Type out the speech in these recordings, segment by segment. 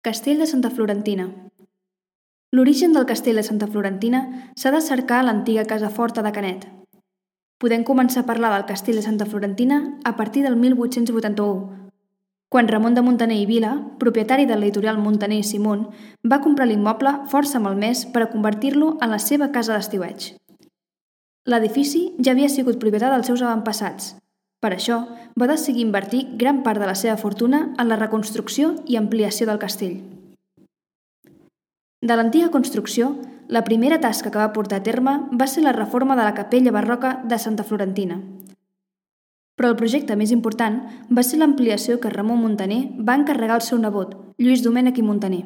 Castell de Santa Florentina. L'origen del Castell de Santa Florentina s'ha de cercar a l'antiga casa forta de Canet. Podem començar a parlar del Castell de Santa Florentina a partir del 1881, quan Ramon de Muntaner i Vila, propietari del litoral Muntaner i Simón, va comprar l'immoble força malmès per a convertir-lo en la seva casa d'estiueig. L'edifici ja havia sigut propietat dels seus avantpassats. Per això, va decidir invertir gran part de la seva fortuna en la reconstrucció i ampliació del castell. De l'antiga construcció, la primera tasca que va portar a terme va ser la reforma de la capella barroca de Santa Florentina. Però el projecte més important va ser l'ampliació que Ramon Muntaner va encarregar al seu nebot, Lluís Domènech i Muntaner.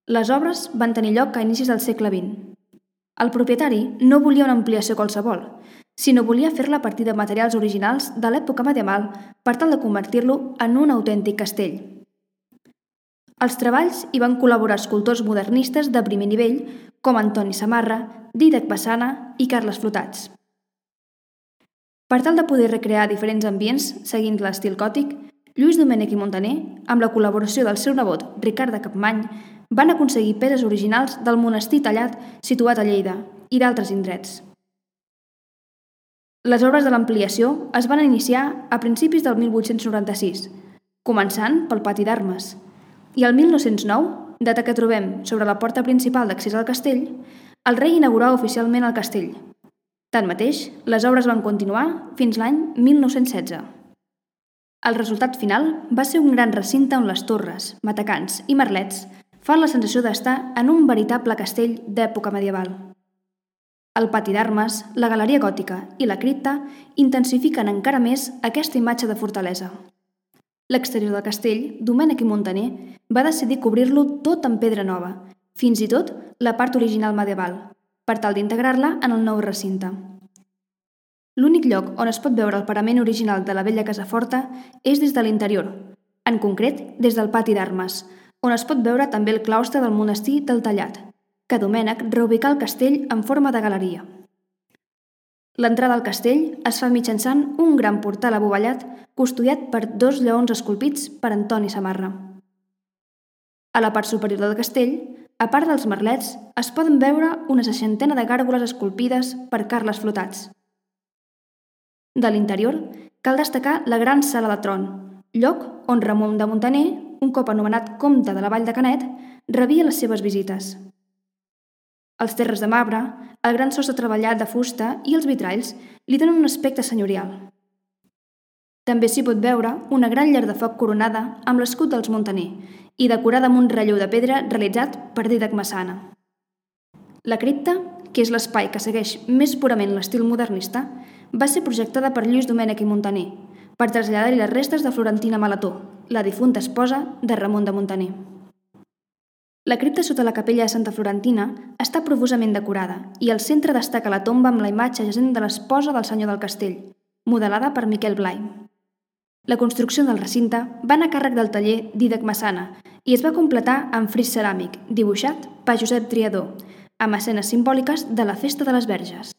Les obres van tenir lloc a inicis del segle XX. El propietari no volia una ampliació qualsevol, sinó volia fer-la a partir de materials originals de l'època medieval per tal de convertir-lo en un autèntic castell. Als treballs hi van col·laborar escultors modernistes de primer nivell com Antoni Samarra, Dídac Massana i Carles Flotats. Per tal de poder recrear diferents ambients seguint l'estil gòtic, Lluís Domènech i Muntaner, amb la col·laboració del seu nebot Ricard de Capmany, van aconseguir peces originals del monestir tallat situat a Lleida i d'altres indrets. Les obres de l'ampliació es van iniciar a principis del 1896, començant pel pati d'armes, i el 1909, data que trobem sobre la porta principal d'accés al castell, el rei inaugurà oficialment el castell. Tanmateix, les obres van continuar fins l'any 1916. El resultat final va ser un gran recinte on les torres, matacans i merlets fan la sensació d'estar en un veritable castell d'època medieval. El pati d'armes, la galeria gòtica i la cripta intensifiquen encara més aquesta imatge de fortalesa. L'exterior del castell, Domènech i Muntaner va decidir cobrir-lo tot amb pedra nova, fins i tot la part original medieval, per tal d'integrar-la en el nou recinte. L'únic lloc on es pot veure el parament original de la vella casa forta és des de l'interior, en concret des del pati d'armes, on es pot veure també el claustre del monestir del Tallat, que Domènech reubicà el castell en forma de galeria. L'entrada al castell es fa mitjançant un gran portal abovellat custodiat per 2 lleons esculpits per Antoni Samarra. A la part superior del castell, a part dels merlets, es poden veure una 60 de gàrgoles esculpides per Carles Flotats. De l'interior, cal destacar la gran sala de tron, lloc on Ramon de Muntaner, un cop anomenat comte de la Vall de Canet, rebia les seves visites. Els terres de marbre, el gran sostre treballat de fusta i els vitralls li donen un aspecte senyorial. També s'hi pot veure una gran llar de foc coronada amb l'escut dels Muntaner i decorada amb un relleu de pedra realitzat per Dídac Massana. La cripta, que és l'espai que segueix més purament l'estil modernista, va ser projectada per Lluís Domènech i Muntaner per traslladar-hi les restes de Florentina Maletó, la difunta esposa de Ramon de Muntaner. La cripta sota la capella de Santa Florentina està profusament decorada i al centre destaca la tomba amb la imatge jacent de l'esposa del senyor del castell, modelada per Miquel Blai. La construcció del recinte va anar a càrrec del taller Dídac Massana i es va completar amb fris ceràmic, dibuixat per Josep Triadó, amb escenes simbòliques de la Festa de les Verges.